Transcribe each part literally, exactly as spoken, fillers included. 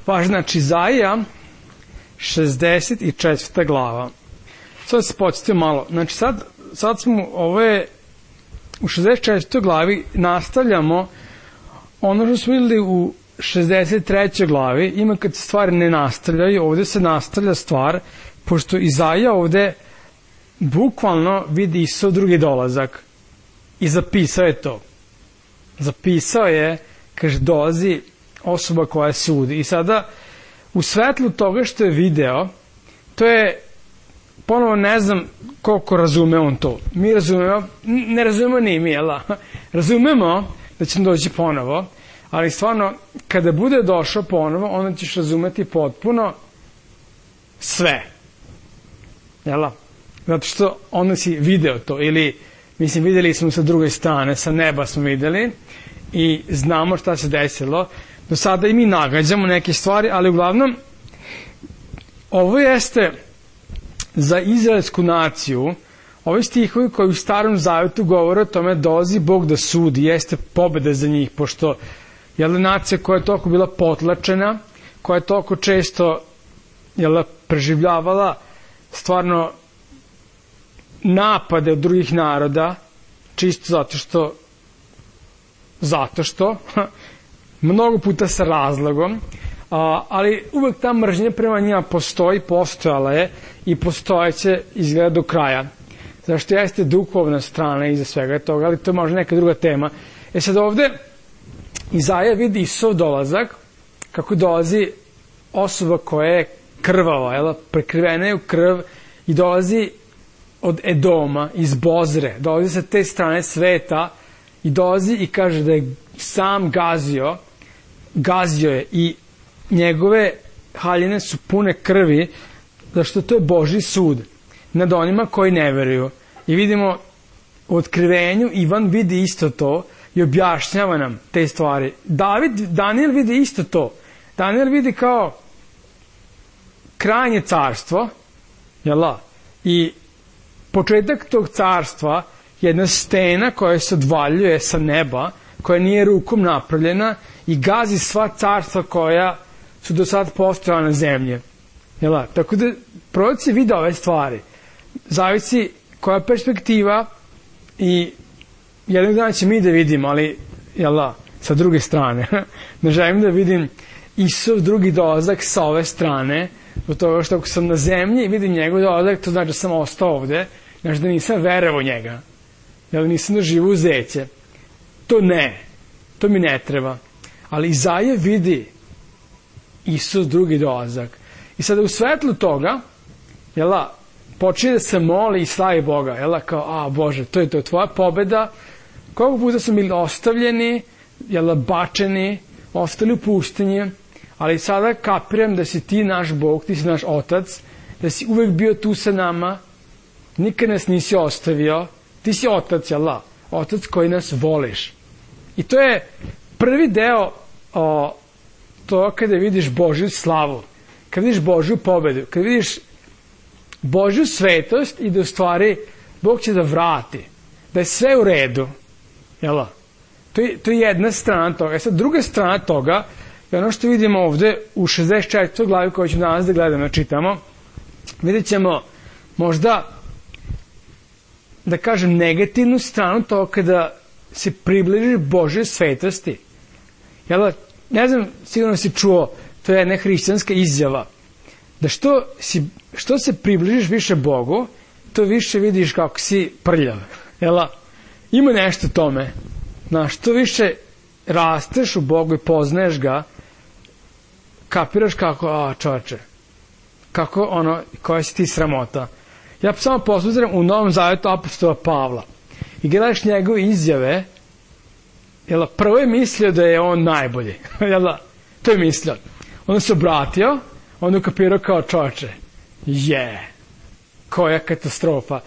Važno, znači Izaija, šezdeset četvrta glava. Sad se podsjetio malo. Znači sad, sad smo, ovo je u šezdeset četvrtoj glavi nastavljamo ono što smo vidjeli u šezdeset trećoj glavi. Ima kad se stvari ne nastavljaju, ovdje se nastavlja stvar, pošto Izaija ovdje bukvalno vidi Isusov drugi dolazak i zapisao je to. Zapisao je, kaže, dolazi osoba koja sudi. I sada, u svetlu toga što je video, to je, ponovo ne znam koliko razume on to. Mi razumemo, ne razumemo ni mi, jel? Razumemo da će doći ponovo, ali stvarno, kada bude došao ponovo, onda ćeš razumeti potpuno sve. Jel? Zato što onda si video to, ili, mislim, vidjeli smo sa druge strane, sa neba smo vidjeli i znamo šta se desilo. Do sada i mi nagađamo neke stvari, ali uglavnom, ovo jeste za izraelsku naciju, ovi stihovi koji u Starom Zavetu govore o tome dolazi Bog da sudi, jeste pobeda za njih, pošto je nacija koja je toliko bila potlačena, koja je toliko često jel, preživljavala stvarno napade od drugih naroda, čisto zato što zato što mnogo puta sa razlogom, a, ali uvek ta mržnja prema njima postoji, postojala je i postojeće izgleda do kraja. Zašto jeste duhovna strana iza svega toga, ali to je možda neka druga tema. E sad ovde Izaija vidi Isusov dolazak, kako dolazi osoba koja je krvava, jel, prekrivena je u krv i dolazi od Edoma, iz Bozre, dolazi sa te strane sveta i dolazi i kaže da je sam gazio, gazio je i njegove haljine su pune krvi, zašto to je Božji sud nad onima koji ne veruju. I vidimo u otkrivenju, Ivan vidi isto to i objašnjava nam te stvari. David, Daniel vidi isto to. Daniel vidi kao krajnje carstvo, jel da? I početak tog carstva je jedna stena koja se odvaljuje sa neba, koja nije rukom napravljena i gazi sva carstva koja su do sad postojala na zemlji. Jel da? Tako da proroci vide ove stvari. Zavisi koja perspektiva i jednog dana će mi da vidimo, ali jel da, sa druge strane. Ne želim da vidim Isusov drugi dolazak sa ove strane, do toga što ako sam na zemlji i vidim njegov dolazak, to znači da sam ostao ovde, znači da nisam verovao njega, jel da nisam doživao uzeće. To ne, to mi ne treba. Ali Izaija vidi Isus drugi dolazak. I sada u svetlu toga, jel da, počinje da se moli i slavi Boga, jel da, kao, a Bože, to je to, tvoja pobeda, koliko puta smo bili ostavljeni, jel da, bačeni, ostali u pustinji, ali sada kapiram da si ti naš Bog, ti si naš Otac, da si uvek bio tu sa nama, nikad nas nisi ostavio, ti si Otac, jel da, Otac koji nas voliš. I to je prvi deo o, to kada vidiš Božju slavu, kada vidiš Božju pobedu, kada vidiš Božju svetost i da u stvari Bog će da vrati, da je sve u redu. Jel? To je, to je jedna strana toga. E sad, druga strana toga je ono što vidimo ovde u šezdeset četvrtoj glavi koju ćemo danas da gledamo, da čitamo. Vidjet ćemo možda, da kažem, negativnu stranu toga kada se približiš Božje svetosti. Jel? Ne znam, sigurno si čuo, to je jedna hrišćanska izjava, da što, si, što se približiš više Bogu, to više vidiš kako si prljav. Jel? Ima nešto tome. Znaš, što više rasteš u Bogu i poznaješ ga, kapiraš kako, a čoveče, kako ono, koja si ti sramota. Ja samo poslužujem u Novom Zavetu apostola Pavla i gledaš njegove izjave, jel, prvo je mislio da je on najbolji. Jel, to je mislio. Onda se obratio, onda kapirao kao čoveče. Je, koja katastrofa.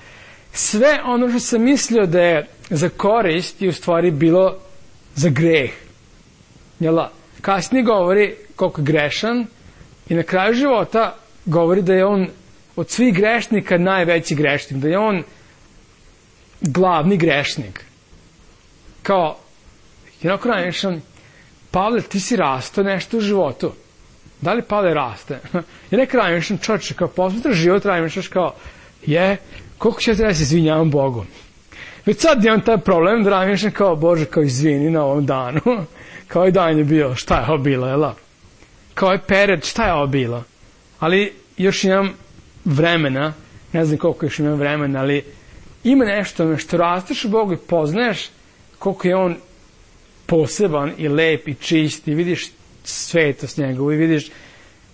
Sve ono što sam mislio da je za korist je u stvari bilo za greh. Jel, kasnije govori koliko je grešan i na kraju života govori da je on od svih grešnika najveći grešnik, da je on glavni grešnik. Kao, jednako najvišan, Pavle, ti si rastao nešto u životu. Da li pada i raste? I neka razmišljam, čoče, kao posmetraš život, razmišljaš kao, je, koliko će treba da se izvinjavam Bogu? Već sad imam taj problem da razmišljam kao, Bože, kao izvini na ovom danu. Kao i dan je bio, šta je ovo bilo, jel? Kao je period, šta je ovo bilo? Ali još imam vremena, ne znam koliko još imam vremena, ali ima nešto što rasteš u Bogu i poznaješ koliko je on poseban i lep i čist i vidiš svetost njegovu i vidiš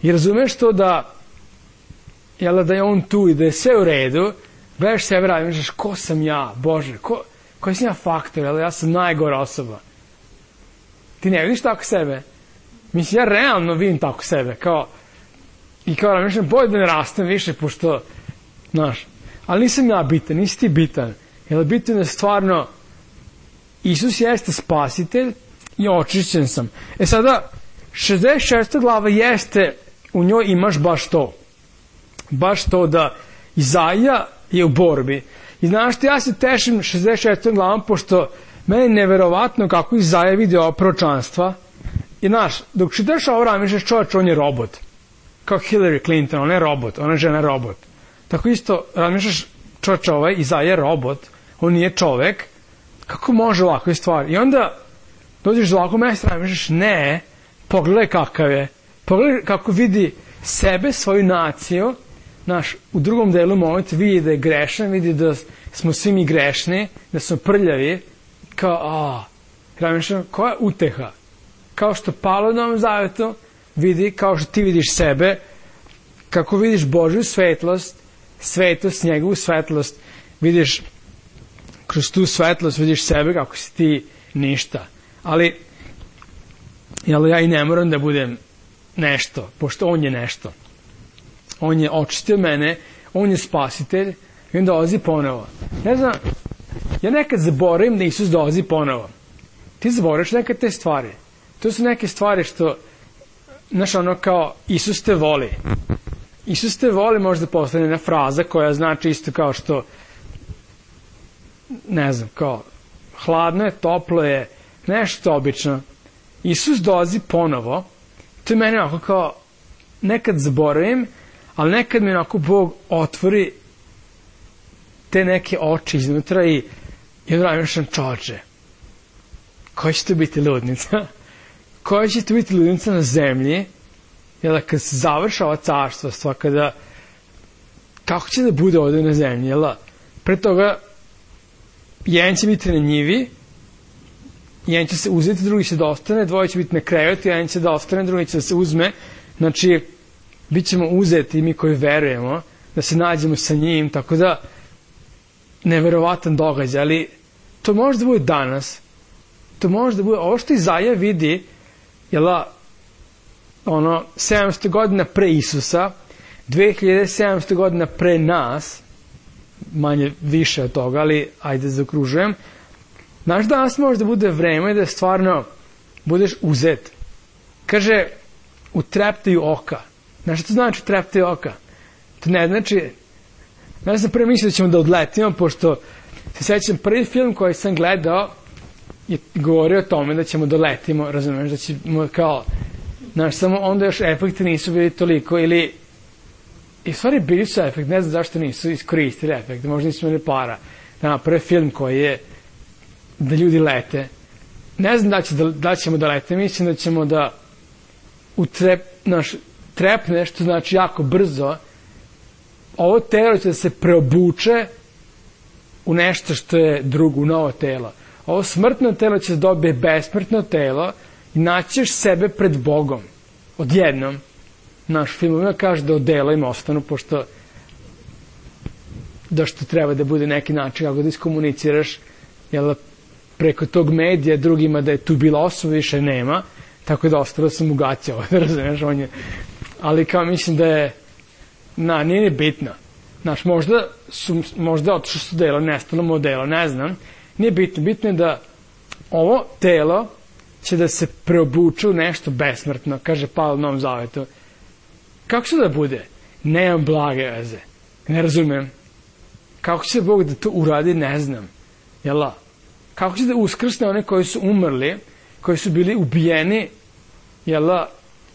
i razumeš to da jel, da je on tu i da je sve u redu, gledaš sebe radi, misliš ko sam ja, Bože, ko, koji sam ja faktor, jel, ja sam najgora osoba. Ti ne vidiš tako sebe? Mislim, ja realno vidim tako sebe, kao i kao razmišljam, bolje da ne rastem više, pošto, znaš, ali nisam ja bitan, nisi ti bitan. Jer bitan je stvarno, Isus jeste spasitelj i očišćen sam. E sada, šezdeset šesta glava jeste, u njoj imaš baš to. Baš to da Izaija je u borbi. I znaš što ja se tešim šezdeset šestom glavom, pošto meni je neverovatno kako Izaija vidi ova proročanstva. I znaš, dok čitaš ovo razmišljaš, čovječ, on je robot. Kao Hillary Clinton, ona je robot, ona je žena robot. Tako isto razmišljaš, čovječ, ovaj Izaija je robot, on nije čovek, kako može ovakve stvari? I onda dođeš do ovakvog mesta, razmišljaš, ne, pogledaj kakav je, pogledaj kako vidi sebe, svoju naciju, naš, u drugom delu moment vidi da je grešan, vidi da smo svi mi grešni, da smo prljavi, kao, a, razmišljam, koja je uteha? Kao što Pavle u Novom Zavetu vidi, kao što ti vidiš sebe, kako vidiš Božju svetlost, svetost, njegovu svetlost, vidiš kroz tu svetlost, vidiš sebe kako si ti ništa. Ali, jel, ja i ne moram da budem nešto, pošto on je nešto. On je očistio mene, on je spasitelj i on dolazi ponovo. Ne znam, ja nekad zaboravim da Isus dolazi ponovo. Ti zaboraviš nekad te stvari. To su neke stvari što, znaš, ono kao, Isus te voli. Isus te voli možda postane jedna fraza koja znači isto kao što, ne znam, kao, hladno je, toplo je, nešto obično. Isus dolazi ponovo, to je meni onako kao, nekad zaboravim, ali nekad mi onako Bog otvori te neke oči iznutra i i odramišljam, čoče, koja će to biti ludnica? Koja će to biti ludnica na zemlji? Jer da kad se završa ova carstva, kada, kako će da bude ovdje na zemlji? Jel? Pre toga, jedan će biti na njivi, jedan će se uzeti, drugi će da ostane, dvoje će biti na krevetu, jedan će da ostane, drugi će da se uzme. Znači, bit ćemo uzeti mi koji verujemo, da se nađemo sa njim, tako da, neverovatan događaj, ali to može da bude danas, to može da bude, ovo što Izaija vidi, jel, ono, sedamsto godina pre Isusa, dve hiljade sedamsto godina pre nas, manje više od toga, ali ajde zaokružujem, znaš, danas može da bude vreme da stvarno budeš uzet. Kaže, u treptaju oka. Znaš što to znači u treptaju oka? To ne znači, ja sam pre mislio da ćemo da odletimo, pošto se sećam, prvi film koji sam gledao je govorio o tome da ćemo da letimo, razumiješ, da ćemo kao, znaš, samo onda još efekti nisu bili toliko, ili, i stvari bili su efekti, ne znam zašto nisu iskoristili efekti, možda nisu imali para, da naprave film koji je da ljudi lete. Ne znam da, će da, da ćemo da lete, mislim da ćemo da u trep, naš, trepne, što znači jako brzo, ovo telo će da se preobuče u nešto što je drugo, u novo telo. Ovo smrtno telo će da dobije besmrtno telo i naćeš sebe pred Bogom. Odjednom. Naš film kaže da odela im ostanu, pošto da što treba da bude neki način kako da iskomuniciraš, jel, preko tog medija drugima da je tu bila osoba, više nema, tako da ostalo sam ugaćao, razumiješ, on je, ali kao mislim da je, na, nije ni bitno. Znaš, možda su, možda otišlo su delo, nestalo modelo, ne znam, nije bitno, bitno je da ovo telo će da se preobuče u nešto besmrtno, kaže Pavle u Novom Zavetu. Kako će da bude? Nemam blage veze. Ne razumem. Kako će Bog da to uradi, ne znam. Jel' la? Kako će da uskrsne one koji su umrli, koji su bili ubijeni, jel' la,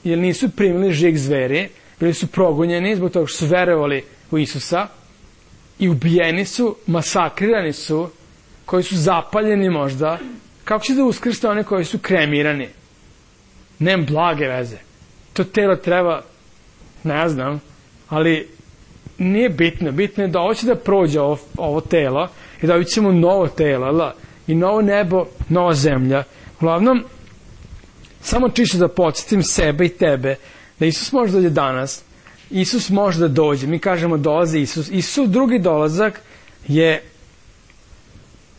jer nisu primili žig zveri, bili su progonjeni zbog toga što su verovali u Isusa i ubijeni su, masakrirani su, koji su zapaljeni možda. Kako će da uskrste one koji su kremirani? Nem blage veze. To telo treba, ne znam, ali nije bitno. Bitno je da hoće da prođe ovo, ovo telo i da vidimo novo telo, la, i novo nebo, nova zemlja. Uglavnom, samo čisto da podsjetim sebe i tebe, da Isus može da dođe danas, Isus može da dođe, mi kažemo dolazi Isus. Isus drugi dolazak je,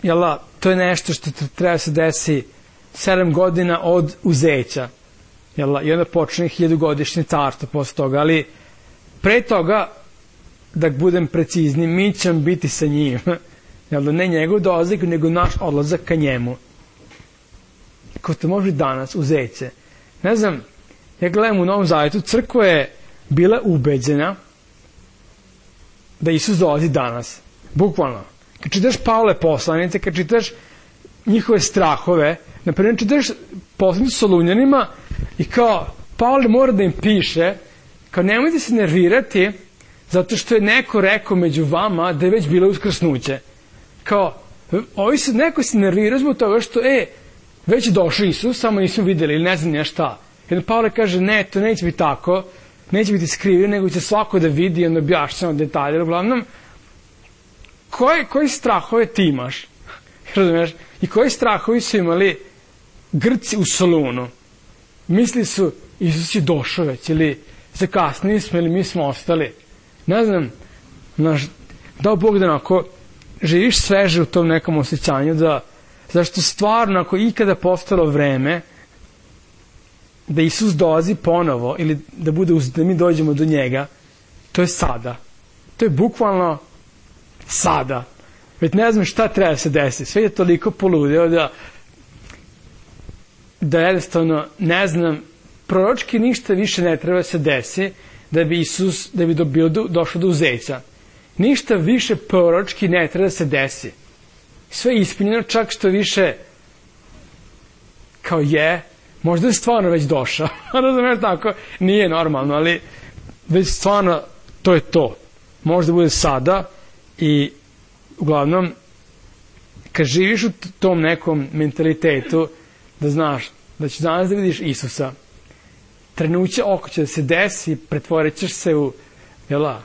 jela, to je nešto što treba se desi sedam godina od uzeća. Jela, i onda počne hiljadugodišnje carstvo posle toga, ali pre toga, da budem precizni, mi ćemo biti sa njim. Jel, ne njegov dolazak, nego naš odlazak ka njemu. Ko to može danas, uzeće. Ne znam, ja gledam u Novom Zavjetu, crkva je bila ubeđena da Isus dolazi danas. Bukvalno. Kad čitaš Pavle poslanice, kad čitaš njihove strahove, naprimjer čitaš poslanicu Solunjanima i kao Pavle mora da im piše, kao nemojte se nervirati zato što je neko rekao među vama da je već bilo uskrsnuće. Kao, ovi se, neko se nervira zbog toga što, e, već je došao Isus, samo nismo videli ili ne znam nije šta. Jedan Pavle kaže, ne, to neće biti tako, neće biti skrivio, nego će svako da vidi i onda objašnjamo detalje. Uglavnom, koje, koji strahove ti imaš? Razumiješ? I koji strahovi su imali Grci u Solunu? Misli su, Isus je došao već, ili zakasnili smo, ili mi smo ostali. Ne znam, naš, dao Bog da onako živiš sveže u tom nekom osjećanju, da, zašto stvarno, ako ikada postalo vreme da Isus dolazi ponovo, ili da, bude, da mi dođemo do njega, to je sada. To je bukvalno sada. Već ne znam šta treba se desiti. Sve je toliko poludeo da da jednostavno, ne znam, proročki ništa više ne treba se desi da bi Isus, da bi bio došao do uzeća. Ništa više proročki ne treba da se desi. Sve je ispunjeno, čak što više kao je, možda je stvarno već došao. Razumiješ tako? Nije normalno, ali već stvarno to je to. Možda bude sada i uglavnom kad živiš u tom nekom mentalitetu da znaš da ćeš danas da vidiš Isusa, trenuće oko će da se desi, pretvorit ćeš se u, jela,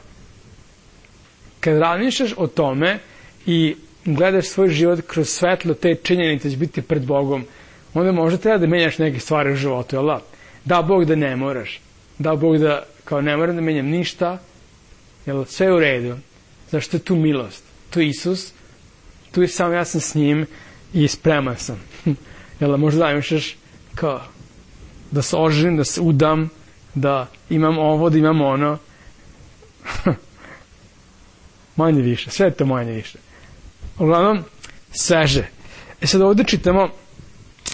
kad razmišljaš o tome i gledaš svoj život kroz svetlo te činjenice, će biti pred Bogom, onda možda treba da menjaš neke stvari u životu, jela? Da Bog da ne moraš, da Bog da kao ne moram da menjam ništa, jel, sve je u redu, zašto je tu milost, tu je Isus, tu je sam ja sam s njim i spreman sam. Jel, možda zamišljaš kao da se oženim, da se udam, da imam ovo, da imam ono. Manje više, sve je to manje više. Uglavnom, sveže. E sad ovdje čitamo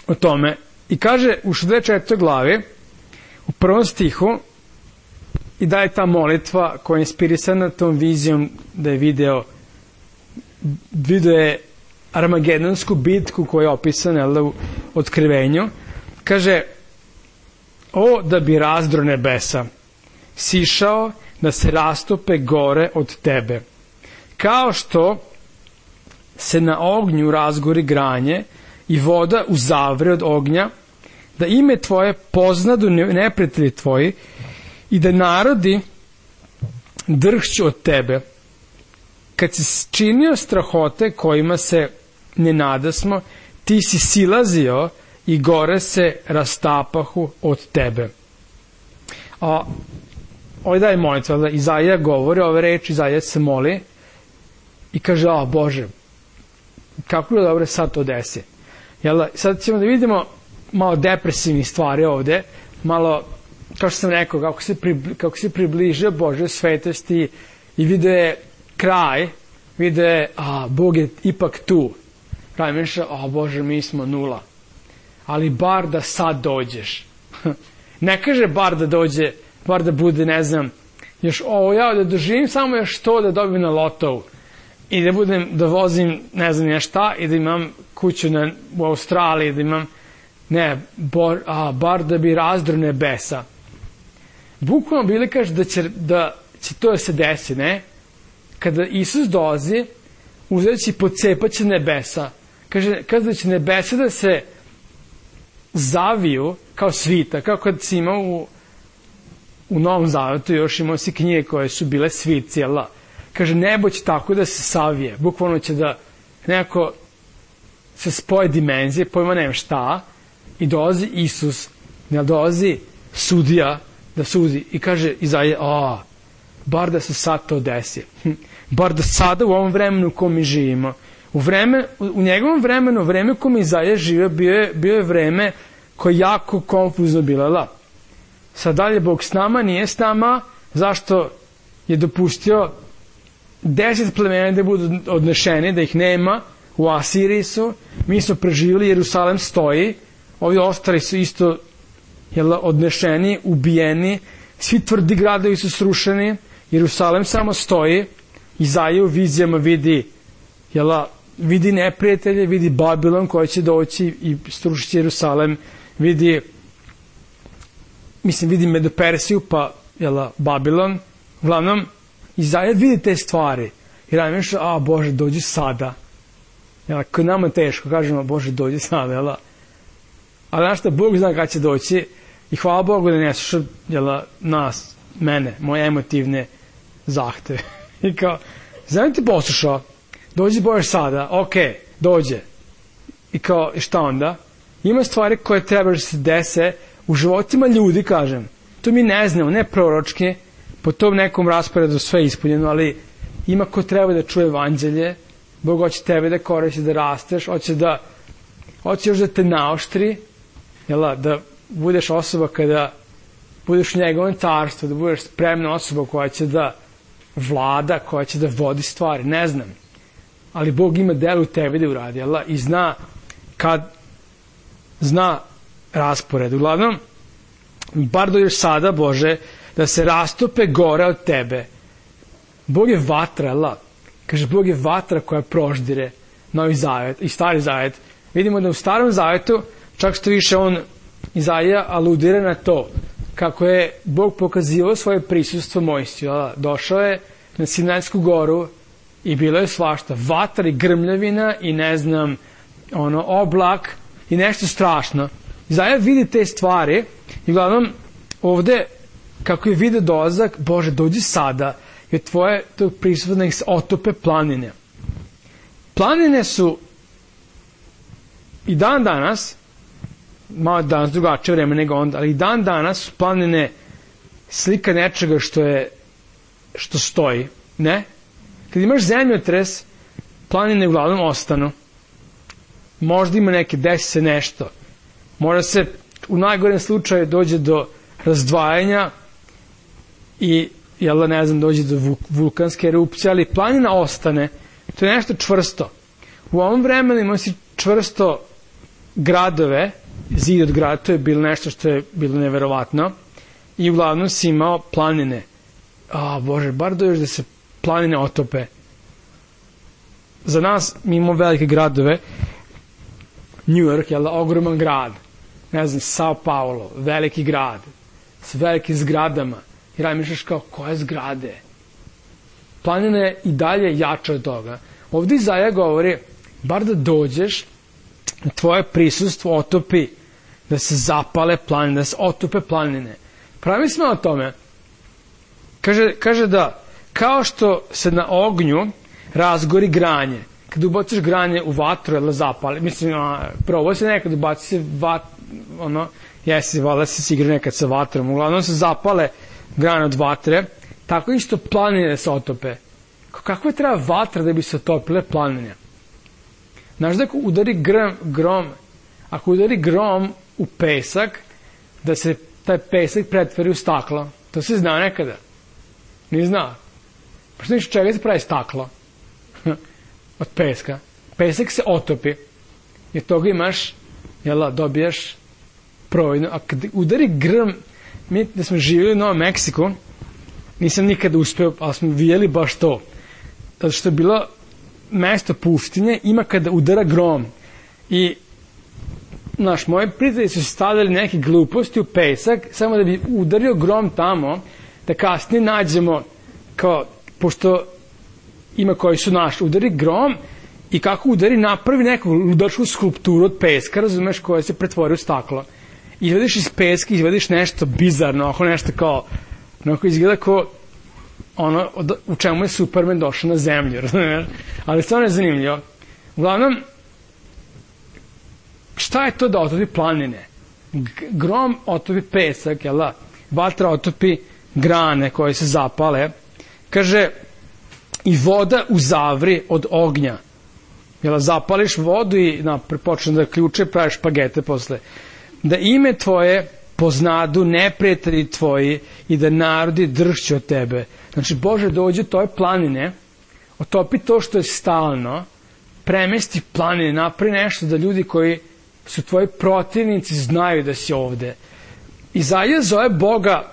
o tome i kaže u šezdeset četvrtoj glavi, u prvom stihu, i da je ta molitva koja je inspirisana tom vizijom da je video video je Armagedonsku bitku koja je opisana u Otkrivenju. Kaže, o da bi razdro nebesa sišao da se rastope gore od tebe, kao što se na ognju razgori granje i voda uzavre od ognja, da ime tvoje poznadu neprijatelji tvoji i da narodi drhću od tebe. Kad si činio strahote kojima se ne nadasmo, ti si silazio i gore se rastapahu od tebe. A ovdje daje molitva, da Izaija govori ove reči, Izaija se moli i kaže, a Bože, kako je dobro sad to desi. Jel, sad ćemo da vidimo malo depresivnih stvari ovdje, malo, kao što sam rekao, kako se, pribli, kako se približio Božoj svetosti i vidio je kraj, vidio je, a Bog je ipak tu. Kraj mišlja, a Bože, mi smo nula. Ali bar da sad dođeš. Ne kaže bar da dođe, bar da bude, ne znam, još ovo ja da doživim samo još to da dobijem na lotovu. I da budem, da vozim, ne znam ja šta, i da imam kuću na, u Australiji, da imam, ne, bo, a, bar da bi razdro nebesa. bukvalno Biblija kaže da će, da će to da se desi, ne? Kada Isus dolazi, uzet će i pocepaće nebesa. Kaže, kaže da će nebesa da se zaviju kao svita, kao kad si imao u, u Novom Zavetu, još imao si knjige koje su bile svici, jel da? Kaže, nebo će tako da se savije, bukvalno će da nekako se spoje dimenzije, pojma nema šta, i dolazi Isus, ne dolazi sudija da sudi i kaže Izaija, a, bar da se sad to desi, bar da sada u ovom vremenu u kom mi živimo, u, vreme, u njegovom vremenu, vreme u kom Izaija živio, bio je, bio je vreme koje je jako konfuzno bilo, la. Sad dalje Bog s nama, nije s nama, zašto je dopustio deset plemena da budu odnešeni, da ih nema, u Asiriji su, mi smo preživjeli, Jerusalem stoji, ovi ostali su isto jel, odnešeni, ubijeni, svi tvrdi gradovi su srušeni, Jerusalem samo stoji, Izaija u vizijama vidi, jel, vidi neprijatelje, vidi Babilon koji će doći i srušiti Jerusalem, vidi, mislim, vidi Medopersiju, pa, jel, Babilon, uglavnom, Izaija vidi te stvari, i radi mišlja, a Bože, dođi sada. Jel, kad nama teško, kažemo, Bože, dođi sada, jel, ali znaš šta, Bog zna kada će doći i hvala Bogu da ne sluša, jel, nas, mene, moje emotivne zahteve. I kao, znam ti poslušao, dođi Bože sada, ok, dođe. I kao, i šta onda? Ima stvari koje treba da se dese u životima ljudi, kažem. To mi ne znamo, ne proročki, po tom nekom rasporedu sve ispunjeno, ali ima ko treba da čuje evanđelje, Bog hoće tebe da koristi, da rasteš, hoće da, hoće još da te naoštri, jel, da budeš osoba kada budeš u njegovom carstvu, da budeš spremna osoba koja će da vlada, koja će da vodi stvari, ne znam. Ali Bog ima delo u tebi da uradi, jel, i zna kad, zna raspored. Uglavnom, bar do još sada, Bože, da se rastope gore od tebe. Bog je vatra, jel, kaže, Bog je vatra koja proždire Novi Zavet i Stari Zavet. Vidimo da u Starom Zavetu, čak što više on, Izaija, aludira na to, kako je Bog pokazivao svoje prisustvo Mojsiju. Došao je na Sinajsku goru i bilo je svašta. Vatra i grmljavina i ne znam, ono, oblak i nešto strašno. Izaija vidi te stvari i uglavnom ovde, kako je vide dolazak, Bože, dođi sada, jer tvoje to prisustvo da ih se otope planine. Planine su i dan danas, malo danas drugačije vreme nego onda, ali i dan danas su planine slika nečega što je, što stoji, ne? Kad imaš zemljotres, planine uglavnom ostanu. Možda ima neke, desi se nešto. Možda se u najgorem slučaju dođe do razdvajanja i, jel, ne znam, dođe do vulkanske erupcije, ali planina ostane. To je nešto čvrsto. U ovom vremenu ima si čvrsto gradove, zid od grada, to je bilo nešto što je bilo neverovatno, i uglavnom si imao planine. A, Bože, bar do još da se planine otope. Za nas, mi imamo velike gradove, New York, jel, ogroman grad, ne znam, Sao Paulo, veliki grad, s velikim zgradama, i radi mišljaš kao, koje zgrade? Planina je i dalje jača od toga. Ovdje Izaija govori, bar da dođeš, tvoje prisustvo otopi, da se zapale planine, da se otope planine. Pravi smo o tome. Kaže, kaže da, kao što se na ognju razgori granje, kad ubaciš granje u vatru, jel, zapali, mislim, a, probao se nekad ubaci se vat, ono, jesi, vala se si igra nekad sa vatrom, uglavnom se zapale grane od vatre, tako isto planine se otope. Kako je treba vatra da bi se otopile planine? Znaš da ako udari grom, grom, ako udari grom u pesak, da se taj pesak pretvori u staklo. To se zna nekada. Nije znao. Pa što niš čega se pravi staklo? Od peska. Pesak se otopi. I od toga imaš, jel, dobijaš providno. A kad udari grm, mi da smo živjeli u Novom Meksiku, nisam nikada uspeo, ali smo vidjeli baš to. Zato što je bilo mesto pustinje, ima kada udara grom. I naš, moji prijatelji su stavili neke gluposti u pesak, samo da bi udario grom tamo, da kasnije nađemo, kao, pošto ima koji su naš, udari grom i kako udari napravi neku ludačku skulpturu od peska, razumeš, koja se pretvori u staklo. Izvadiš iz peska, izvadiš nešto bizarno, ako nešto kao, onako izgleda kao ono u čemu je Superman došao na zemlju, razumeš? Ali stvarno je zanimljivo. Uglavnom, šta je to da otopi planine? Grom otopi pesak, jel da? Vatra otopi grane koje se zapale. Kaže, i voda uzavri od ognja. Jel, zapališ vodu i na, počne da ključe, praviš špagete posle. Da ime tvoje poznadu neprijatelji tvoji i da narodi dršću od tebe. Znači, Bože, dođe u toj planine, otopi to što je stalno, premesti planine, napravi nešto da ljudi koji su tvoji protivnici znaju da si ovde. Izaja zove Boga,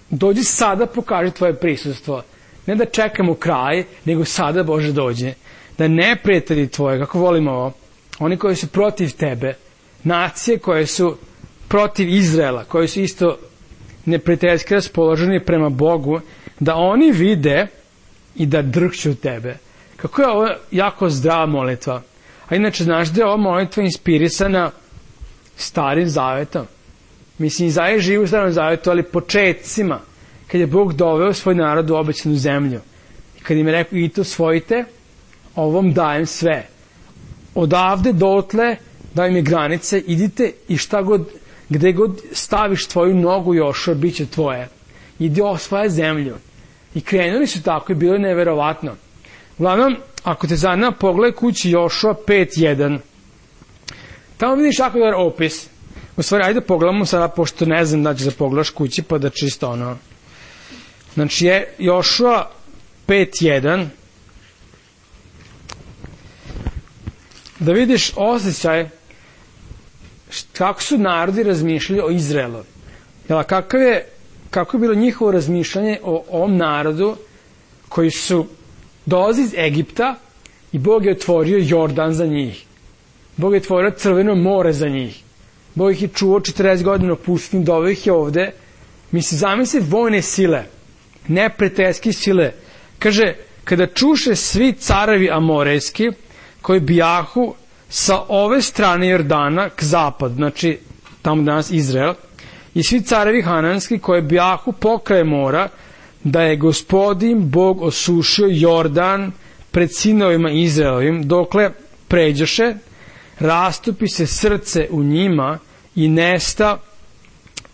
dođi sada, pokaži tvoje prisustvo. Ne da čekamo kraj, nego sada, Bože, dođe. Da neprijatelji tvoje, kako volimo ovo, oni koji su protiv tebe, nacije koje su protiv Izraela, koji su isto neprijateljski raspoloženi prema Bogu, da oni vide i da drhću tebe. Kako je ovo jako zdrava molitva. A inače, znaš da je ova molitva inspirisana Starim Zavetom. Mislim, Izaja živi u Starom Zavetu, ali početcima, kad je Bog doveo svoj narod u obećanu zemlju. I kad im je rekao, idite osvojite, ovom dajem sve. Odavde dotle, dajem je granice, idite i šta god, gde god staviš tvoju nogu, Jošua, bit će tvoje. Idi osvaja zemlju. I krenuli su tako i bilo je neverovatno. Uglavnom, ako te zanima, pogledaj kući Jošua pet jedan. Tamo vidiš jako dobar opis. U stvari, ajde pogledamo sada, pošto ne znam da ćeš da pogledaš kući, pa da čisto ono. Znači je Jošua pet jedan. Da vidiš osjećaj kako su narodi razmišljali o Izraelu. Jel, kakav je, kako je bilo njihovo razmišljanje o ovom narodu koji su dolazi iz Egipta i Bog je otvorio Jordan za njih. Bog je otvorio Crveno more za njih. Bog ih je čuvao četrdeset godina u pustinji, doveo ih je ovde. Misli, zamisli vojne sile, neprijateljske sile. Kaže, kada čuše svi carevi amorejski koji bijahu sa ove strane Jordana k zapad, znači tamo danas Izrael, i svi carevi hananski koji bijahu pokraj mora, da je Gospodin Bog osušio Jordan pred sinovima Izraelovim, dokle pređoše, rastupi se srce u njima i nesta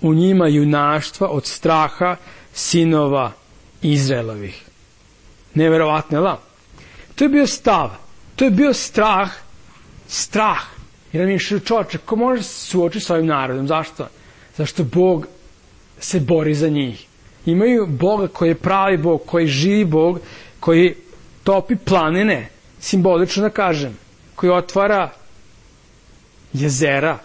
u njima junaštva od straha sinova Izraelovih. Neverovatno, la? To je bio stav, to je bio strah, strah. Jer mi je čovječe, ko može se suočiti s ovim narodom? Zašto? Zašto Bog se bori za njih. Imaju Boga koji je pravi Bog, koji živi Bog, koji topi planine, simbolično da kažem, koji otvara jezera,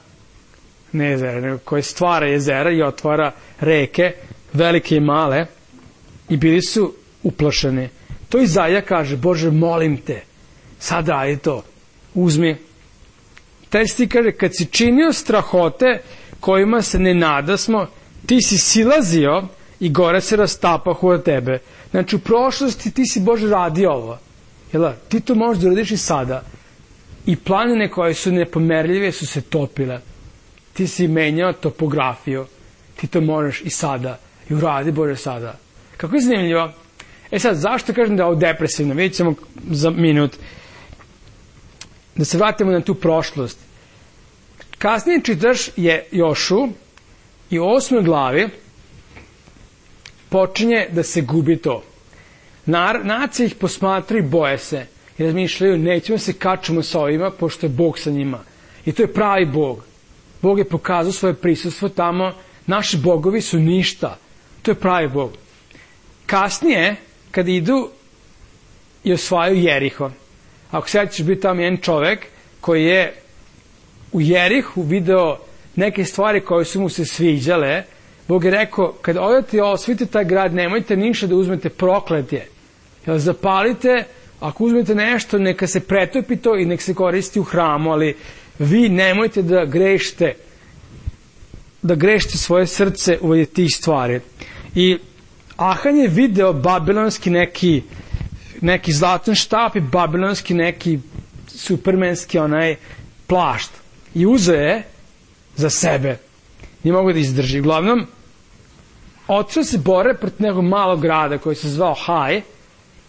ne jezera, nego koji stvara jezera i otvara reke, velike i male, i bili su uplašeni. To Izaja kaže, Bože, molim te, sad radi to, uzmi. Taj stih kaže, kad si činio strahote kojima se ne nadasmo, ti si silazio i gore se rastapahu od tebe. Znači, u prošlosti ti si, Bože, radio ovo. Jel, ti to možeš da uradiš i sada. I planine koje su nepomerljive su se topile. Ti si menjao topografiju. Ti to možeš i sada. I uradi, Bože, sada. Kako je zanimljivo? E sad, zašto kažem da je ovo depresivno? Vidjet ćemo za minut. Da se vratimo na tu prošlost. Kasnije čitaš je Jošu i u osmoj glavi počinje da se gubi to. Nar, nacije ih posmatri i boje se i razmišljaju, nećemo se kačemo sa ovima pošto je Bog sa njima. I to je pravi Bog. Bog je pokazao svoje prisustvo tamo, naši bogovi su ništa. To je pravi Bog. Kasnije, kad idu i osvajaju Jeriho, ako sad ćeš biti tamo jedan čovek koji je u Jerihu video neke stvari koje su mu se sviđale, Bog je rekao, kad odete i osvojite taj grad, nemojte ništa da uzmete prokletje. Jel, zapalite, ako uzmete nešto, neka se pretopi to i nek se koristi u hramu, ali vi nemojte da grešite, da grešite svoje srce u tih stvari. I Ahan je video babilonski neki, neki zlatan štap i babilonski neki supermenski onaj plašt. I uzeo je za sebe. Nije mogu da izdrži. Uglavnom, otišao se bore protiv nekog malog grada koji se zvao Haj,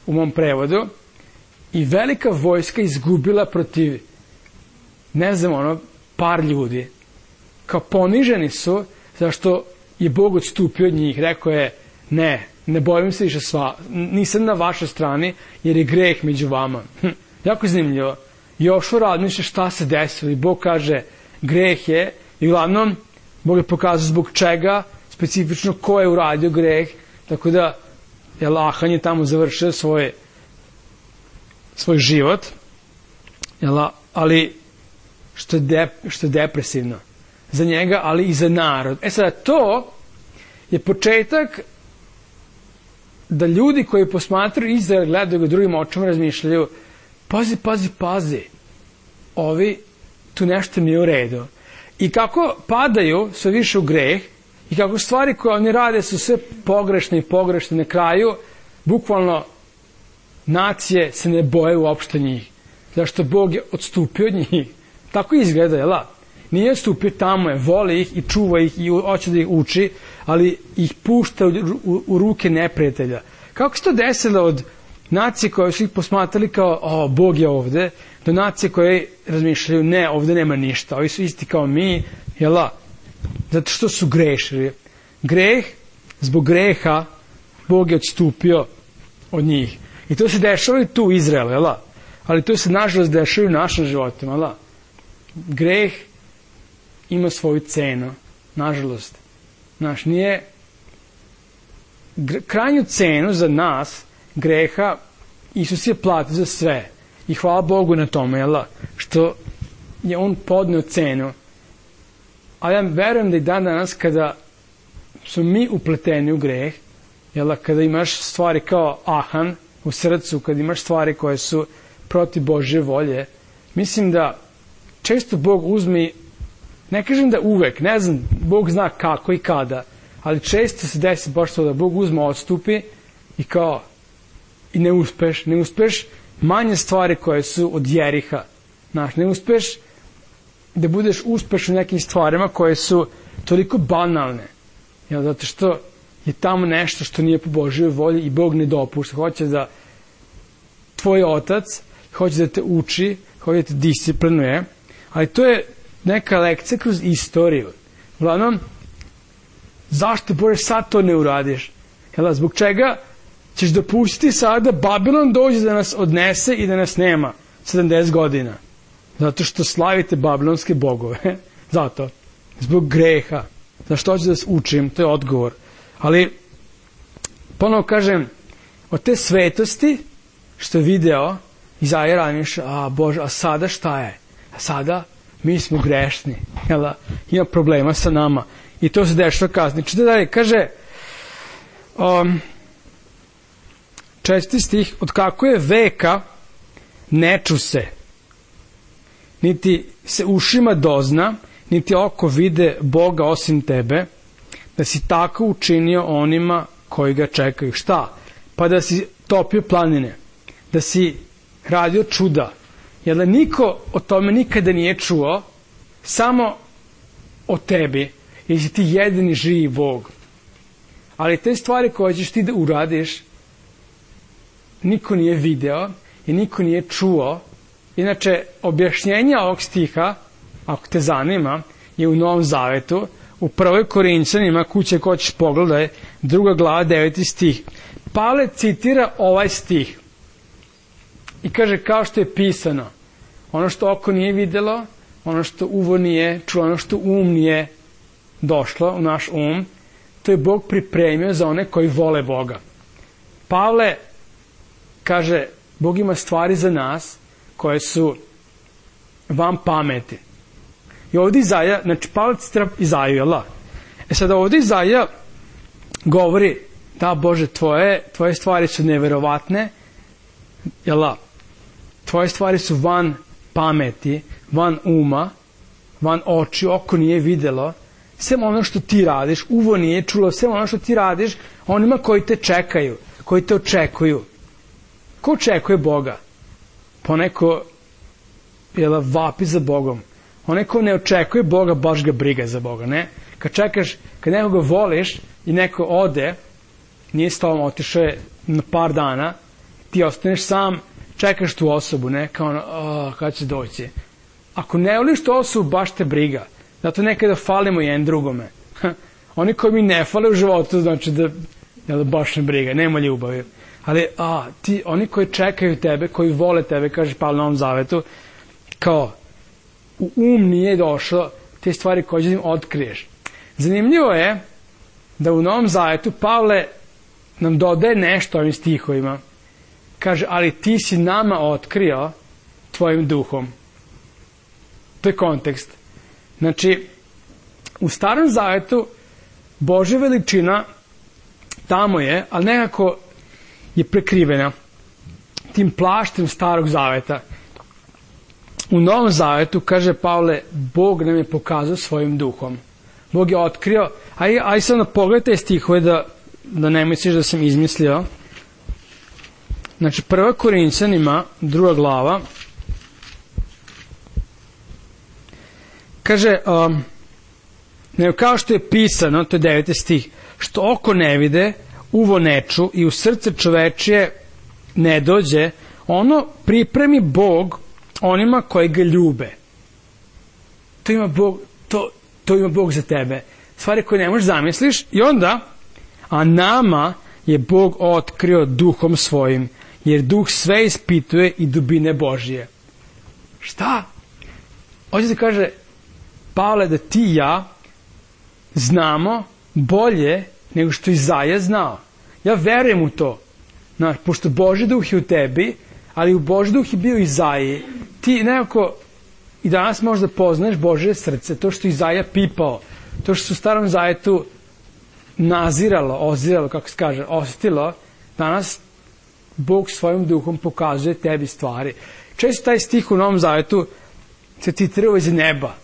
u mom prevodu, i velika vojska izgubila protiv, ne znam, ono, par ljudi. Kao poniženi su, zašto je Bog odstupio od njih. Rekao je, ne, ne bojim se više sva, nisam na vašoj strani, jer je greh među vama. Hm, jako zanimljivo. Jošua razmišlja šta se desilo i Bog kaže, greh je, i uglavnom, Bog je pokazao zbog čega, specifično ko je uradio greh, tako da jel, Ahan je tamo završio svoj, svoj život, jel, ali što je, de, što je depresivno za njega, ali i za narod. E sada, to je početak da ljudi koji posmatraju Izrael, gledaju ga drugim očima, razmišljaju, pazi, pazi, pazi, ovi, tu nešto nije u redu. I kako padaju sve više u greh, i kako stvari koje oni rade su sve pogrešne i pogrešne, na kraju, bukvalno, nacije se ne boje uopšte njih. Zašto Bog je odstupio od njih. Tako izgleda, jel? Nije odstupio, tamo je, voli ih i čuva ih i hoće da ih uči, ali ih pušta u, u, u ruke neprijatelja. Kako se to desilo od nacije koje su ih posmatrali kao, o, Bog je ovde, do nacije koje razmišljaju, ne, ovde nema ništa, ovi su isti kao mi, jel? Zato što su grešili. Greh, zbog greha, Bog je odstupio od njih. I to se dešava i tu u Izraelu, jel? Ali to se nažalost dešava i u našim životima, jel? Greh ima svoju cenu, nažalost. Znaš, nije krajnju cenu za nas greha Isus je platio za sve. I hvala Bogu na tome, jel? Što je on podneo cenu. Ali ja verujem da i dan danas kada su mi upleteni u greh, jel, kada imaš stvari kao Ahan u srcu, kada imaš stvari koje su protiv Božje volje, mislim da često Bog uzme, ne kažem da uvek, ne znam, Bog zna kako i kada, ali često se desi baš to da Bog uzme, odstupi i kao, i ne uspeš, ne uspeš manje stvari koje su od Jeriha, znaš, ne uspeš da budeš uspešan u nekim stvarima koje su toliko banalne, jel, zato što je tamo nešto što nije po Božjoj volji i Bog ne dopušta. Hoće da tvoj otac, hoće da te uči, hoće da te disciplinuje, ali to je neka lekcija kroz istoriju. Uglavnom, zašto Bože sad to ne uradiš? Jel, zbog čega ćeš dopustiti sada da Babilon dođe da nas odnese i da nas nema sedamdeset godina? Zato što slavite babilonske bogove. Zato. Zbog greha. Zašto hoću da vas učim? To je odgovor. Ali, ponovo kažem, od te svetosti što je video Izaija razmišlja, a Bože, a sada šta je? A sada mi smo grešni. Jel, ima problema sa nama. I to se dešava kasnije. Čite dalje, kaže, um, četvrti stih, od kako je veka ne ču se, niti se ušima dozna, niti oko vide Boga osim tebe, da si tako učinio onima koji ga čekaju. Šta? Pa da si topio planine, da si radio čuda, jer da niko o tome nikada nije čuo, samo o tebi, jer si ti jedini živi Bog. Ali te stvari koje ćeš ti da uradiš, niko nije video i niko nije čuo. Inače, objašnjenje ovog stiha, ako te zanima, je u Novom Zavetu, u prvoj Korinćanima, kuće ko ćeš pogledaj, druga glava, deveti stih. Pavle citira ovaj stih i kaže, kao što je pisano, ono što oko nije videlo, ono što uvo nije čuo, ono što um nije došlo u naš um, to je Bog pripremio za one koji vole Boga. Pavle kaže, Bog ima stvari za nas koje su vam pameti. I ovdje Izaija, znači Pavle citira Izaiju, jel da? E sada ovdje Izaija govori, da Bože, tvoje, tvoje stvari su neverovatne, jel da? Tvoje stvari su van pameti, van uma, van oči, oko nije videlo, sve ono što ti radiš, uvo nije čulo, sve ono što ti radiš onima koji te čekaju, koji te očekuju. Ko očekuje Boga? Pa neko jel, vapi za Bogom. Onaj ko ne očekuje Boga, baš ga briga za Boga, ne? Kad čekaš, kad nekoga voliš i neko ode, nije s tobom, otišao je na par dana, ti ostaneš sam, čekaš tu osobu, ne? Kao ono, oh, kada će doći? Ako ne voliš tu osobu, baš te briga. Zato nekada falimo jedan drugome. Oni koji mi ne fale u životu, znači da, jel, baš ne briga, nema ljubavi. Ali, a, ti, oni koji čekaju tebe, koji vole tebe, kaže Pavle na Novom Zavetu, kao, u um nije došlo te stvari koje im otkriješ. Zanimljivo je da u Novom Zavetu Pavle nam dodaje nešto ovim stihovima. Kaže, ali ti si nama otkrio tvojim duhom. To je kontekst. Znači, u Starom Zavetu Božja veličina tamo je, ali nekako je prekrivena tim plaštem Starog Zaveta. U Novom Zavetu, kaže Pavle, Bog nam je pokazao svojim duhom. Bog je otkrio, aj, aj sad na pogledajte stihove da, da ne misliš da sam izmislio. Znači, prva Korinćanima, druga glava, kaže, um, ne, kao što je pisano, to je deveti stih, što oko ne vide, uvo ne ču i u srce čovečije ne dođe, ono pripremi Bog onima koji ga ljube. To ima Bog, to, to ima Bog za tebe. Stvari koje ne možeš zamisliš i onda, a nama je Bog otkrio duhom svojim, jer duh sve ispituje i dubine Božije. Šta? Ovdje se kaže, Pavle, da ti i ja znamo bolje nego što Izaja znao. Ja verujem u to. Znaš, pošto Božji duh je u tebi, ali u Božji duh je bio Izaji, ti nekako i danas možda poznaješ Božje srce, to što Izaja pipao, to što su u Starom Zavetu naziralo, oziralo, kako se kaže, osjetilo, danas Bog svojim duhom pokazuje tebi stvari. Često taj stih u Novom Zavetu se citirao iz neba.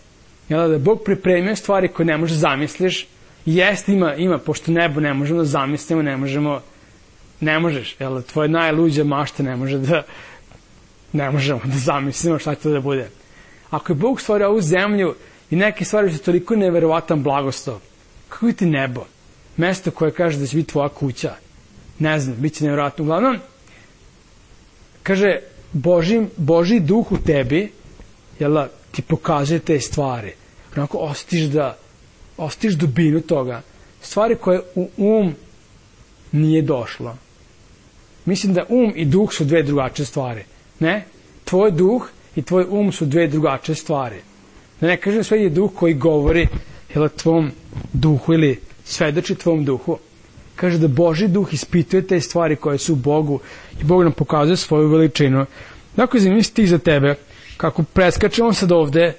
Jel, da je Bog pripremio stvari koje ne možeš zamisliš. Jeste, ima, ima, pošto nebo ne možemo da zamislimo, ne možemo, ne možeš, jel, tvoje najluđe mašte ne može da, ne možemo da zamislimo šta će to da bude. Ako je Bog stvorio ovu zemlju i neke stvari su toliko neverovatan blagoslov, kako je ti nebo? Mesto koje kaže da će biti tvoja kuća. Ne znam, bit će nevjerovatno. Uglavnom, kaže, Boži, Boži duh u tebi, jel, ti pokazuje te stvari. Onako osjetiš da, osjetiš dubinu toga. Stvari koje u um nije došlo. Mislim da um i duh su dve drugačije stvari. Ne? Tvoj duh i tvoj um su dve drugačije stvari. Da ne kažem sve je duh koji govori jel, tvom duhu ili svedoči tvom duhu. Kaže da Božji duh ispituje te stvari koje su u Bogu i Bog nam pokazuje svoju veličinu. Dakle, zanimljiv stih za tebe, kako preskačemo sad ovde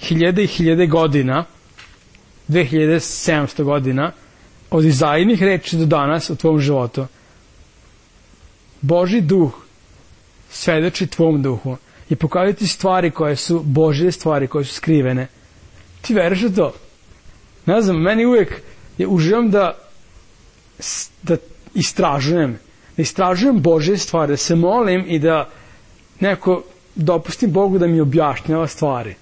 hiljade i hiljade godina, dve hiljade sedamsto godina, od Izaijinih reči do danas u tvom životu. Božji duh svedoči tvom duhu i pokazuje ti stvari koje su Božje stvari, koje su skrivene. Ti veruješ u to? Ne znam, meni uvijek je uživam da da istražujem, da istražujem Božje stvari, da se molim i da nekako dopustim Bogu da mi objašnjava stvari.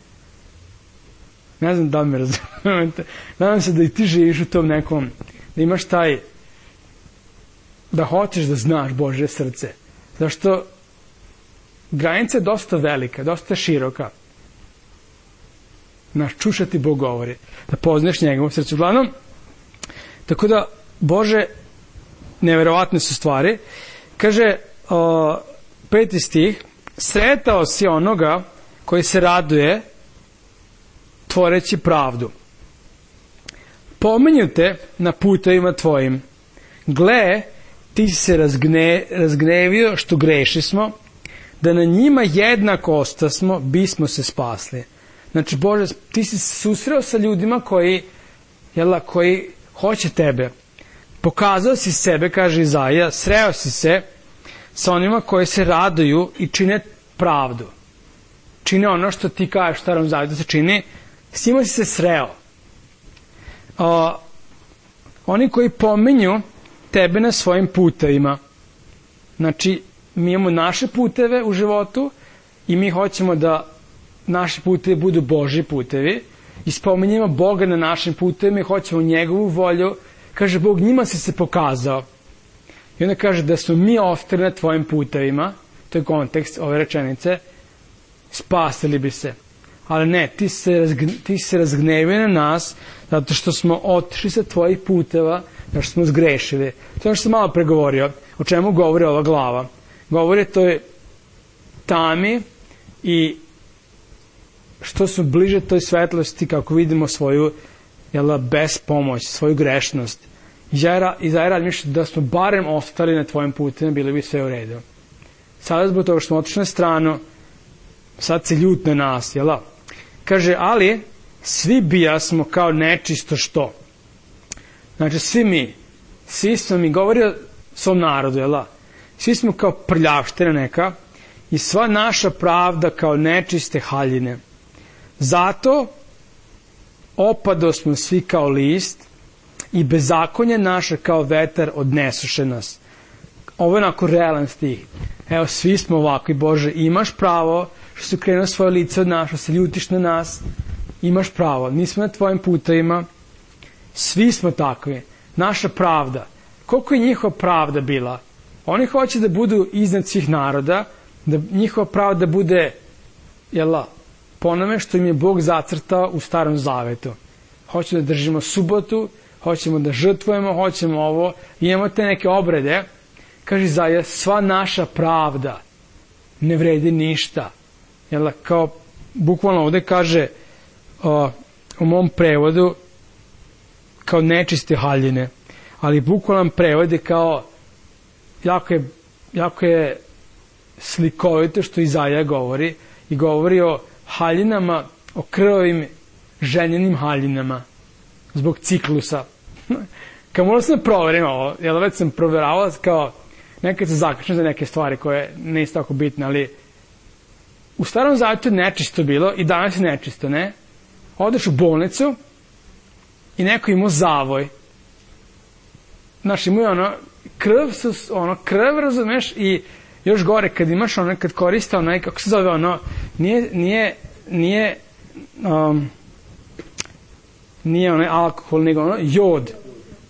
Ne znam da li me razumete. Nadam se da i ti živiš u tom nekom, da imaš taj, da hoćeš da znaš Božje srce. Zašto granica je dosta velika, dosta široka. Naš čušati Bog govori, da poznaš njegovo srce. Uglavnom, tako da, Bože, neverovatne su stvari. Kaže, o, peti stih, sretao si onoga koji se raduje tvoreći pravdu. Pominju te na putovima tvojim. Gle, ti si se razgne, razgnevio što greši smo, da na njima jednako ostasmo, bismo se spasli. Znači, Bože, ti si se susreo sa ljudima koji, jela, koji hoće tebe. Pokazao si sebe, kaže Izaija, sreo si se sa onima koji se raduju i čine pravdu. čine ono što ti kažeš u Starom Zavetu se čini, s njima si se sreo. Uh, oni koji pominju tebe na svojim putevima, znači mi imamo naše puteve u životu i mi hoćemo da naši putevi budu Božji putevi i spominjemo Boga na našim putevima i hoćemo njegovu volju. Kaže Bog, njima si se pokazao. I onda kaže da smo mi ostali na tvojim putevima, to je kontekst ove rečenice, spasili bi se. Ali ne, ti se, razgne, ti se razgnevio na nas zato što smo otišli sa tvojih puteva, zato što smo zgrešili. To je što sam malo pregovorio. O čemu govori ova glava? Govori to je tami i što su bliže toj svetlosti kako vidimo svoju jela, bespomoć, svoju grešnost. I zajedno razmišljati da smo barem ostali na tvojim putima, bilo bi sve u redu. Sada zbog toga što smo otišli na stranu, sad se ljut na nas, jela? Kaže, ali svi bijasmo kao nečisto što. Znači, svi mi, svi smo mi, govori o svom narodu, jela? Svi smo kao prljavština neka i sva naša pravda kao nečiste haljine. Zato opado smo svi kao list i bezakonje naše kao vetar odnesuše nas. Ovo je onako realan stih. Evo, svi smo ovakvi, Bože, imaš pravo što si krenuo svoje lice od nas, što se ljutiš na nas, imaš pravo. Mi smo na tvojim putevima, svi smo takvi. Naša pravda. Koliko je njihova pravda bila? Oni hoće da budu iznad svih naroda, da njihova pravda bude, jela, po onome što im je Bog zacrtao u Starom Zavetu. Hoće da držimo subotu, hoćemo da žrtvujemo, hoćemo ovo, imamo te neke obrede. Kaže Izaja, sva naša pravda ne vredi ništa. Jel, kao bukvalno ovde kaže o, u mom prevodu kao nečiste haljine, ali bukvalno prevode kao jako je, jako je slikovito što Izaja govori i govori o haljinama, o krvavim ženjenim haljinama zbog ciklusa. Kao možda sam proverim ovo, jer već sam proveravao kao nekad se zakačem za neke stvari koje nisu tako bitne, ali u Starom Zavetu je nečisto bilo i danas je nečisto, ne? Odeš u bolnicu i neko imao zavoj. Znaš, imao je ono krv, ono krv, razumeš, i još gore kad imaš ono, kad koriste ono, kako se zove ono, nije, nije, nije, um, nije onaj alkohol, nego ono, jod.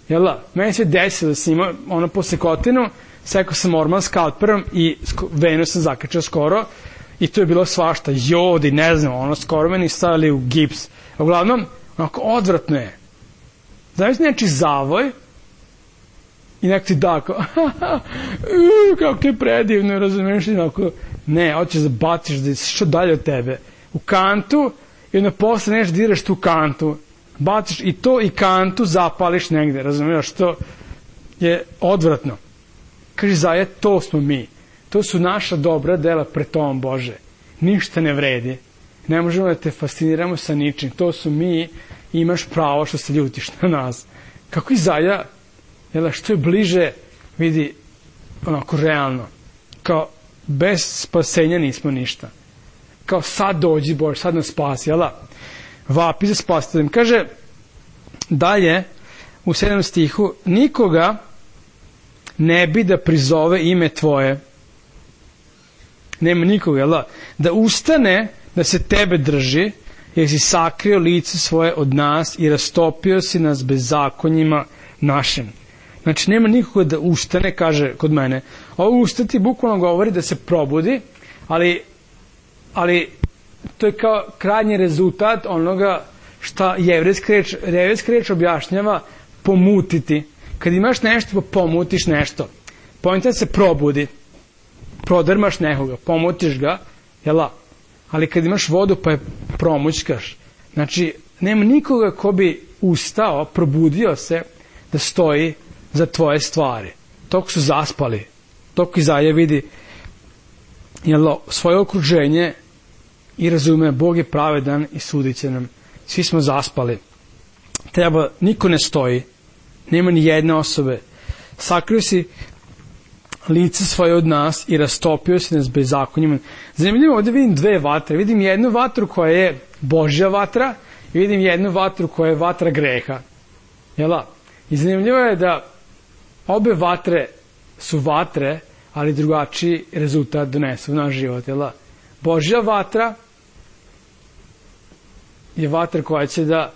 Jel da? Meni se desilo da sam imao ono po sekotinu, sekao sam orman skalperom i venu sam zakačao skoro i to je bilo svašta, jod i ne znam, ono skoro meni stavili u gips. Uglavnom, onako odvratno je. Znaš neči zavoj i neko ti da kao, kako je predivno, razumiješ, onako, ne, hoćeš da baciš da je što dalje od tebe. U kantu i onda posle nešto diraš tu kantu. Baciš i to i kantu zapališ negde, razumiješ, to je odvratno. Kaže Izaja, to smo mi. To su naša dobra dela pred Tobom, Bože. Ništa ne vredi. Ne možemo da te fasciniramo sa ničim. To su mi i imaš pravo što se ljutiš na nas. Kako Izaja, jel, što je bliže, vidi, onako realno. Kao, bez spasenja nismo ništa. Kao, sad dođi, Bože, sad nas spasi, jel? Vapi za spasiteljem. Kaže dalje u sedmom stihu, nikoga ne bi da prizove ime tvoje. Nema nikoga, jel da? Da ustane da se tebe drži, jer si sakrio lice svoje od nas i rastopio si nas bezakonjima našim. Znači, nema nikoga da ustane, kaže kod mene. Ovo ustati bukvalno govori da se probudi, ali, ali to je kao krajnji rezultat onoga šta jevrejska reč, jevrejska reč objašnjava pomutiti. Kad imaš nešto pa pomutiš nešto. Poenta se probudi. Prodrmaš nekoga, pomutiš ga, jela? Ali kad imaš vodu pa je promućkaš. Znači, nema nikoga ko bi ustao, probudio se da stoji za tvoje stvari. Toko su zaspali. Toko Izaja vidi jelo, svoje okruženje i razume, Bog je pravedan i sudit će nam. Svi smo zaspali. Treba, niko ne stoji. Nema ni jedne osobe. Sakrio si lice svoje od nas i rastopio se nas bezakonjima. Zanimljivo, ovdje vidim dve vatre. Vidim jednu vatru koja je Božja vatra i vidim jednu vatru koja je vatra greha. Jel' I zanimljivo je da obe vatre su vatre, ali drugačiji rezultat donesu u naš život. Jel' Božja vatra je vatra koja će da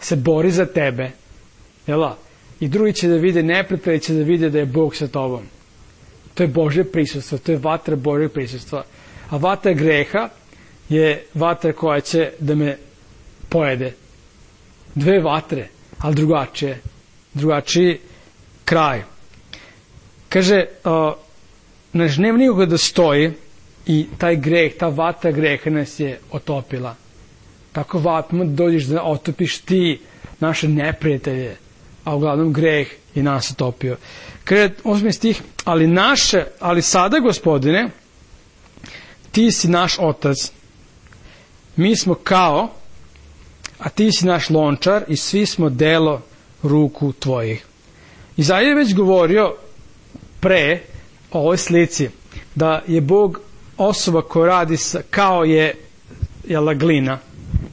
se bori za tebe. Jel' I drugi će da vide neprijatelji, će da vide da je Bog sa tobom. To je Božje prisustvo, to je vatra Božjeg prisustva. A vatra greha je vatra koja će da me pojede. Dve vatre, ali drugačije. Drugačiji kraj. Kaže, uh, naš nema nikoga da stoji i taj greh, ta vatra greha nas je otopila. Tako vapimo da dođeš da otopiš ti naše neprijatelje, a uglavnom greh je nas otopio. Kaže, osmi stih, ali naše, ali sada, Gospodine, ti si naš otac, mi smo kao, a ti si naš lončar i svi smo delo ruku tvojih. Izaija je već govorio pre o ovoj slici, da je Bog osoba koja radi sa, kao je jela, glina,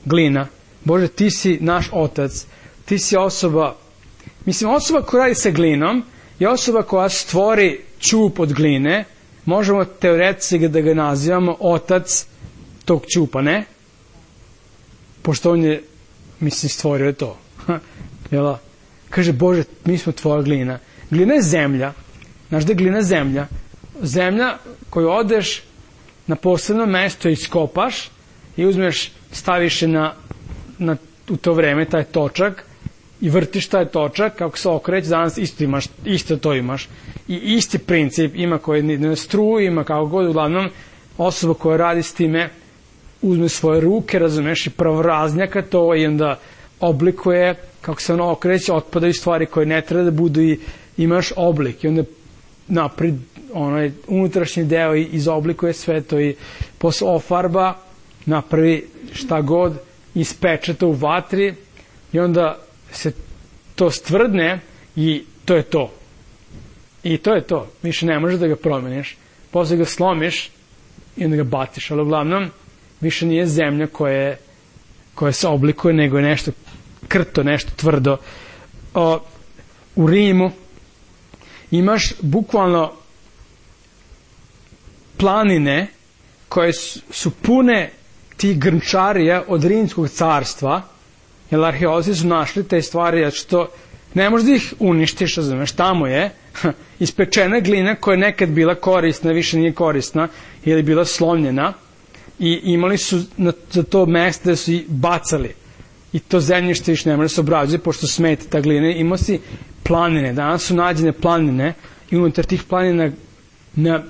glina. Bože, ti si naš otac, ti si osoba, mislim, osoba koja radi sa glinom je osoba koja stvori ćup od gline, možemo teoretski da ga nazivamo otac tog ćupa, ne? Pošto on je, mislim, stvorio je to. Jela? Kaže, Bože, mi smo tvoja glina. Glina je zemlja. Znaš da je glina zemlja? Zemlja koju odeš na posebno mesto i iskopaš i uzmeš, staviš je na, na, u to vreme taj točak i vrtiš taj točak, kako se okreće, danas isto imaš, isto to imaš. I isti princip ima koji ne struju, ima kako god, uglavnom osoba koja radi s time uzme svoje ruke, razumeš, i pravoraznjaka to i onda oblikuje, kako se ono okreće, otpadaju stvari koje ne treba da budu i imaš oblik i onda napred onaj unutrašnji deo i izoblikuje sve to i posle ofarba, napravi šta god, ispeče to u vatri i onda se to stvrdne i to je to. I to je to. Više ne možeš da ga promeniš. Posle ga slomiš i onda ga batiš. Ali uglavnom više nije zemlja koja, koja se oblikuje, nego je nešto krto, nešto tvrdo. O, u Rimu imaš bukvalno planine koje su pune tih grnčarija od Rimskog carstva, jer arheolozi su našli te stvari, što ne možeš da ih uništiš, razumeš, tamo je ispečena glina koja je nekad bila korisna, više nije korisna, ili bila slomljena i imali su na, za to mesto da su i bacali. I to zemljište više ne može se obrađuje, pošto smeta ta glina. Imao si planine, danas su nađene planine i unutar tih planina na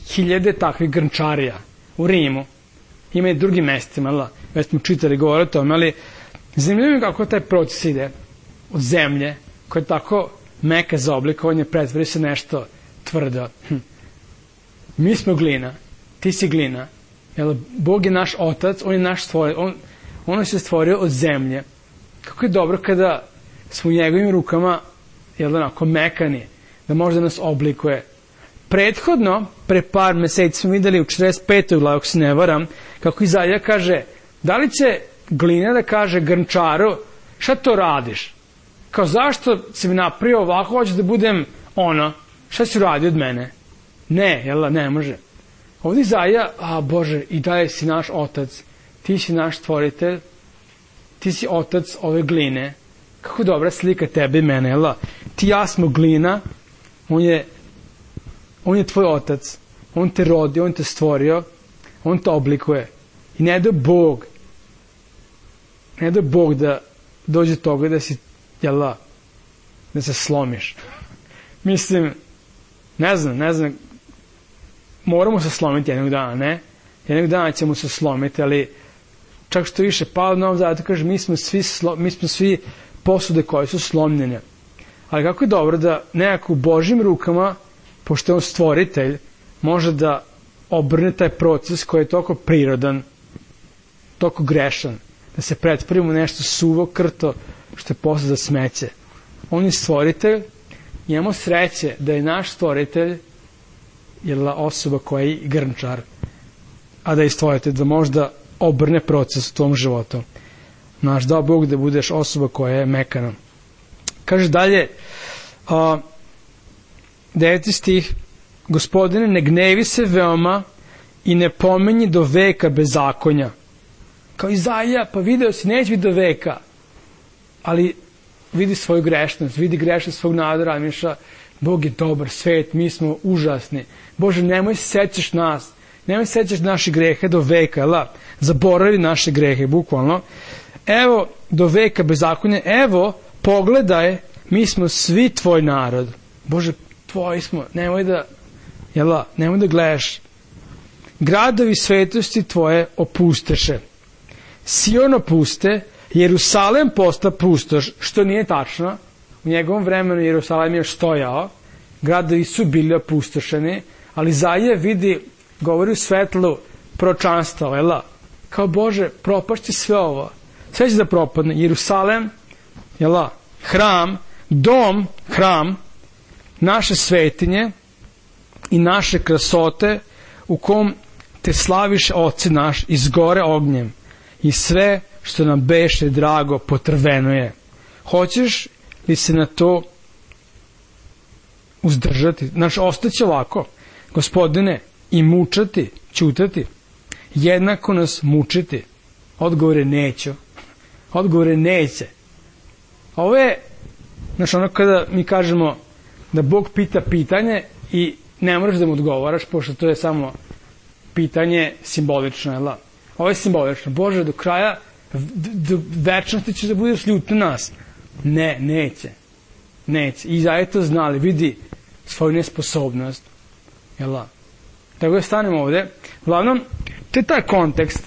hiljade takvih grnčarija u Rimu. Ima i drugim mestima, već smo čitali govore o tome, ali zanimljivo je kako taj proces ide od zemlje, koja je tako meka za oblikovanje, pretvori se nešto tvrdo. Hm. Mi smo glina, ti si glina, jel, Bog je naš otac, on je naš stvorio, on, on se stvorio od zemlje. Kako je dobro kada smo u njegovim rukama, jel, onako mekani, da može da nas oblikuje. Prethodno, pre par meseci smo videli u četrdeset petoj glavi, ako se ne varam, kako Izaija kaže, da li će glina da kaže grnčaru, šta to radiš? Kao, zašto si mi napravio ovako, hoćeš da budem ono, šta si radi od mene? Ne, jel, ne može. Ovdje Izaija, a Bože, i dalje si naš otac, ti si naš stvoritelj, ti si otac ove gline, kako dobra slika tebe i mene, jel? Ti ja smo glina, on je on je tvoj otac, on te rodi, on te stvorio, on te oblikuje. I ne da Bog, ne da Bog da dođe toga da si, jel, da se slomiš. Mislim, ne znam, ne znam, moramo se slomiti jednog dana, ne? Jednog dana ćemo se slomiti, ali čak što više, Pavle nam zato kaže, mi smo svi, slo, mi smo svi posude koje su slomljene. Ali kako je dobro da nekako u Božjim rukama, pošto je on stvoritelj, može da obrne taj proces koji je toliko prirodan, toliko grešan, da se pretvorimo nešto suvo, krto, što je posle za smeće. On je stvoritelj, imamo sreće da je naš stvoritelj jel, osoba koja je grnčar, a da je stvoritelj, da možda obrne proces u tvom životu. Naš dao Bog da budeš osoba koja je mekana. Kaže dalje, a, deveti stih, Gospodine, ne gnevi se veoma i ne pomenji do veka bezakonja. Kao Izaija, pa video si, neće biti do veka, ali vidi svoju grešnost, vidi grešnost svog naroda, miša, Bog je dobar, svet, mi smo užasni. Bože, nemoj se sećaš nas, nemoj se sećaš naše grehe do veka, la, zaboravi naše grehe, bukvalno. Evo, do veka bezakonja, evo, pogledaj, mi smo svi tvoj narod. Bože, tvoji smo, nemoj da, jela, nemoj da gledaš. Gradovi svetosti tvoje opusteše. Sion opuste, Jerusalem posta pustoš, što nije tačno. U njegovom vremenu Jerusalem je stojao, gradovi su bili opustošeni, ali Izaija vidi, govori u svetlu proročanstva, jela, kao Bože, propašće sve ovo. Sve će da propadne. Jerusalem, jela, hram, dom, hram, naše svetinje i naše krasote u kom te slaviš, Oče naš, izgore ognjem i sve što nam beše drago potrveno je. Hoćeš li se na to uzdržati? Znači, ostaće ovako, Gospodine, i mučati, ćutati, jednako nas mučiti. Odgovore neću. Odgovore neće. Ovo je, znači, ono kada mi kažemo da Bog pita pitanje i ne moraš da mu odgovaraš, pošto to je samo pitanje simbolično, jel da? Ovo je simbolično. Bože, do kraja do večnosti ćeš da budeš ljut na nas. Ne, neće. Neće. I Izaija to znali, vidi svoju nesposobnost. Jel da? Tako da stanemo ovde. Uglavnom, to je taj kontekst,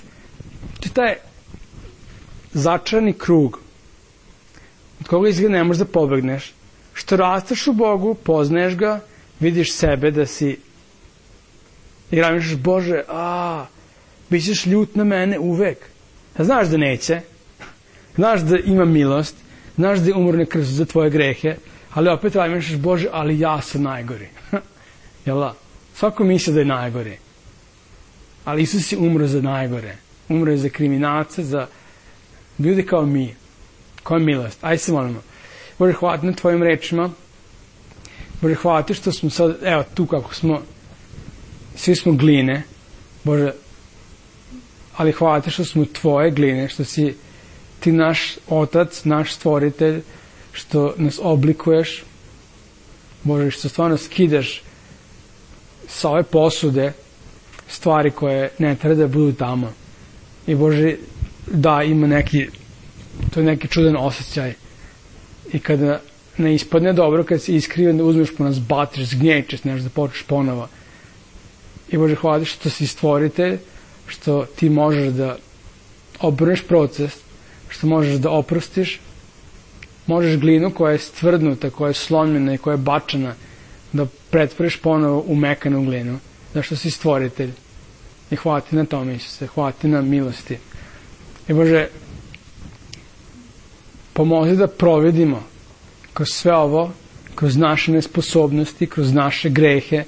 to je taj začarani krug od koga izgleda ne možeš da pobegneš. Što rasteš u Bogu, poznaješ ga, vidiš sebe da si i razmišljaš, Bože, a, bit ćeš ljut na mene uvek. A znaš da neće, znaš da ima milost, znaš da je umorne krv za tvoje grehe, ali opet razmišljaš, Bože, ali ja sam najgori. Jel da? Svako misli da je najgori. Ali Isus je umro za najgore. Umro je za kriminalce, za ljudi kao mi. Koja milost. Ajde se molimo. Bože, hvala ti na tvojim rečima. Bože, hvala ti što smo sad, evo tu kako smo, svi smo gline. Bože, ali hvala ti što smo tvoje gline, što si ti naš otac, naš stvoritelj, što nas oblikuješ. Bože, što stvarno skidaš sa ove posude stvari koje ne treba da budu tamo. I Bože, da, ima neki, to je neki čudan osjećaj. I kada ne ispadne dobro, kad si iskriven, da uzmeš po nas, batiš, zgnječeš, nešto da počneš ponovo. I Bože, hvala što si stvoritelj, što ti možeš da obrneš proces, što možeš da oprostiš, možeš glinu koja je stvrdnuta, koja je slomljena i koja je bačena, da pretvoriš ponovo u mekanu glinu, zašto si stvoritelj. I hvala ti na tome, Isuse, hvala ti na milosti. I Bože, pomozi da provedimo kroz sve ovo, kroz naše nesposobnosti, kroz naše grehe,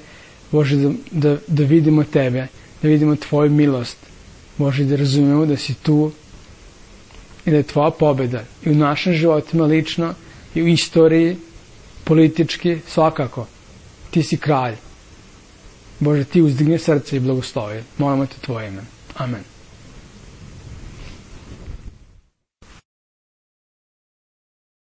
Bože, da, da, da vidimo Tebe, da vidimo Tvoju milost, Bože, da razumemo da si tu i da je Tvoja pobjeda i u našim životima lično i u istoriji, politički, svakako. Ti si kralj. Bože, ti uzdigni srce i blagoslovi. Molimo te Tvoje ime. Amen.